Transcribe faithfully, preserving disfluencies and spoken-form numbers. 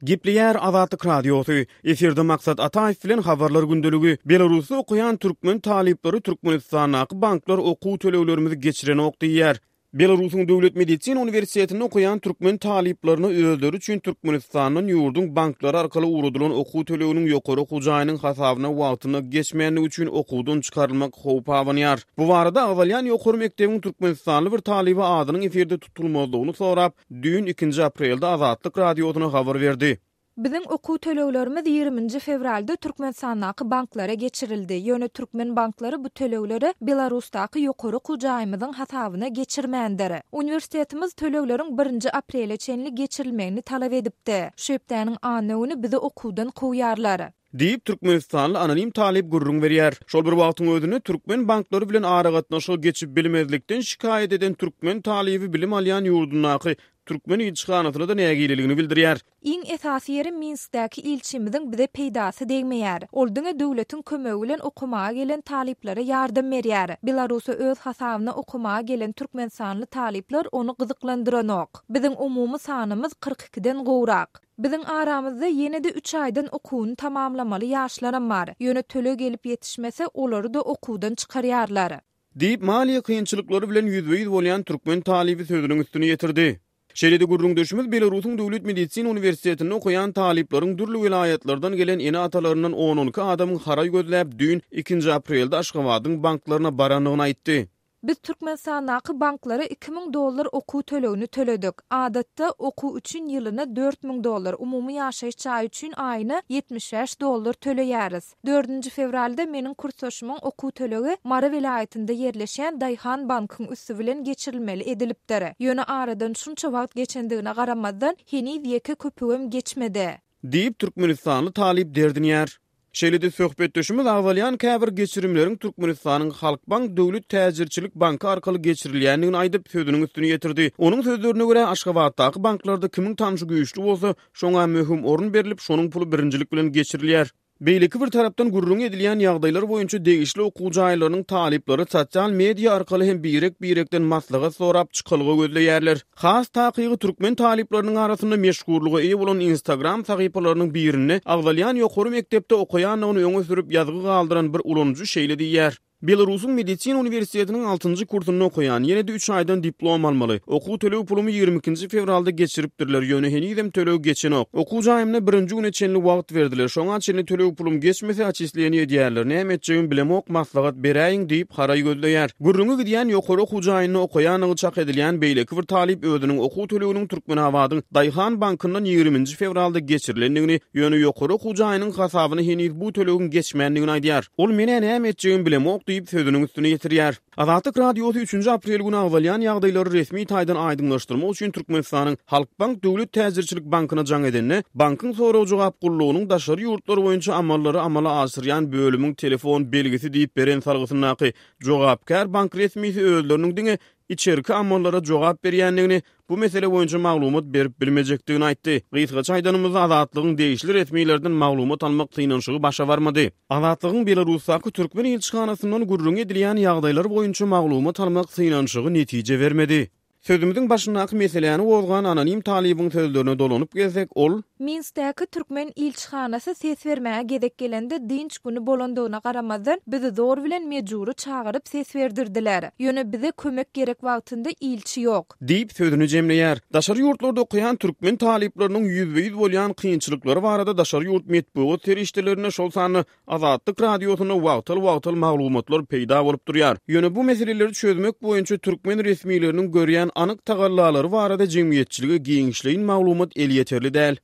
Gepleýär Azatlyk Radiosy. Efirde Maksat Ataýew bilen Habarlar gündeligi. Belarusda okaýan türkmen talyplary Türkmenistandaky banklar okuw töleglerimizi geçirenok diýýär. Belarusyň Döwlet medisina uniwersitetinde okaýan türkmen talyplaryna özleri üçin Türkmenistandan ýurduň banklary arkaly ugradylan okuw töleginiň ýokary okuw jaýynyň hasabyna wagtynda geçmändigi üçin okuwdan çykarylmak howpy abanýar. Bu barada agzalýan ýokary mekdebiň türkmenistanly bir talyby adynyň efirde tutulmazlygyny sorap, düýn ikinji aprelde Azatlyk Radiosyna habar berdi. Biziň okuw töleglerimiz ýigriminji fewralda Türkmenistandaky banklara geçirildi. Ýöne türkmen banklary bu tölegleri Belarusdaky ýokary okuw jaýymyzyň hasabyna geçirmändir. Uniwersitetimiz tölegleriň birinji aprele çenli geçirilmegini talap edipdi. Şu hepdäniň anna güni bizi okuwdan kowýarlar. Diýip, türkmenistanly anonim talyp gürrüň berýär. Şol bir wagtyň özünde türkmen banklary bilen aragatnaşyga geçip bilmezlikden şikaýat eden türkmen talyby bilim alýan ýurdundaky türkmen ilçihanasyna-da nägileligini bildirýär. Iň esasy ýeri Minskdäki ilçimiziň bize peýdasy degmeýär. Ol diňe döwletiň kömegi bilen okamaga gelen talyplara ýardam berýär. Belarusa öz hasabyna okamaga gelen türkmenistanly talyplar ony gyzyklandyranok. Biziň umumy sanymyz kyrk ikiden gowrak. Biziň aramyzda ýene-de üç aýdan okuwyny tamamlamaly ýaşlaram bar. Ýöne töleg gelip ýetişmese, olary-da okuwdan çykarýarlar. Diýip, maliýe kynçylyklary bilen ýüzbe-ýüz bolýan türkmen talyby sözüniň üstüni ýetirdi. Şeýle-de gürrüňdeşimiz Belarusyň Döwlet medisina uniwersitetinde okaýan talyplaryň dürli welaýatlardan gelen ene-atalaryndan on-on iki adamyň haraý gözläp, düýn, ikinji aprelde Aşgabadyň banklaryna barandygyny aýtdy. Biz Türkmenistandaky banklara iki müň dollar okuw tölegini töledik. Adatda, okuw üçin ýylyna dört müň dollar, umumy ýaşaýyş jaýy üçin aýyna ýetmiş bäş dollar töleýäris. Dördünji fewralda meniň kursdaşymyň okuw tölegi Mary welaýatynda ýerleşýän Daýhan bankyň üsti bilen geçirilmeli edilipdir. Ýöne aradan şunça wagt geçendigine garamazdan, heniz ýeke köpügem geçmedi. Diýip, türkmenistanly talyp derdinýär. Şeýle-de söhbetdeşimiz agzalýan käbir geçirimleriň Türkmenistanyň Halkbank döwlet täjirçilik banky arkaly geçirilýändigini aýdyp, sözüniň üstüni ýetirdi. Onuň sözlerine görä, Aşgabatdaky banklarda kimiň tanşy güýçli bolsa, şoňa möhüm orun berlip, şonuň puly birinjilik bilen geçirilýär. Beýleki bir tarapdan gürrüňi edilýän ýagdaýlar boýunça degişli okuw jaýlarynyň talyplary sosial media arkaly hem birek-birekden maslahat sorap çykalga gözleýärler. Has takygy türkmen talyplarynyň arasynda meşhurlyga eýe bolan Instagram sahypalarynyň birinde agzalýan ýokary mekdepde okaýandygyny öňe sürüp ýazgy galdyran bir ulanyjy şeýle diýýär. Belarusyň medisina uniwersitetiniň altynjy kursunda okaýan, ýene-de üç aýdan diplom almaly. Okuw töleg pulumy ýigrimi ikinji fewralda geçiripdirler, ýöne henizem töleg geçenok. Okuw jaýymda birinji güne çenli wagt berdiler, şoňa çenli töleg pulum geçmese oçisleniýe edýärler, näme etjegimi bilemok, maslahat beräýiň diýip haraý gözleýär. Gürrüňi gidýän ýokary okuw jaýynda okaýandygy çak edilýän beýleki bir talyp özüniň okuw töleginiň Türkmenabadyň Daýhan bankyndan ýigriminji fewralda geçirilendigini, ýöne ýokary okuw jaýynyň hasabyna heniz bu tölegiň geçmändigini aýdýar. Ol men-ä näme etjegimi bilemok diýip sözüniň üstüni ýetirýär. Azatlyk Radiosy üçünji aprel güni agzalýan ýagdaýlary resmi taýdan aýdyňlaşdyrmak üçin Türkmenistanyň Halkbank döwlet täjirçilik bankyna jaň edende, bankyň sorag-jogap gullugynyň daşary ýurtlar boýunça amallary amala aşyrýan bölümiň telefon belgisi diýip beren salgysyndaky jogapkär bank resmisi özleriniň diňe içerki amallara jogap berýändigini, bu mesele boýunça maglumat berip bilmejekdigini aýtdy. Gysgaça aýdanymyzda, Azatlygyň degişli resmilerden maglumat almak synanyşygy başa barmady. Azatlygyň Belarusdaky türkmen ilçihanasyndan gürrüň edilýän ýagdaýlar boýunça maglumat almak synanyşygy netije bermedi. Sözümiziň başyndaky meseläni gozgan anonim talybyň sözlerine dolanyp gelsek, ol Minskdäki türkmen ilçihanasy ses bermäge gezek gelende dynç güni bolandygyna garamazdan, bizi zor bilen mejbury çagyryp ses berdirdiler. Ýöne bize kömek gerek wagtynda ilçi ýok. Diýip, sözüni jemleýär. Daşary ýurtlarda okaýan türkmen talyplarynyň ýüzbe-ýüz bolýan kynçylyklary barada daşary ýurt metbugat serişdelerinde, şol sanda Azatlyk Radiosynda wagtal-wagtal maglumatlar peýda bolup durýar. Ýöne bu meseleleri çözmek boýunça türkmen resmileriniň görýän anyk tagallalary barada jemgyýetçilige giňişleýin maglumat elýeterli däl.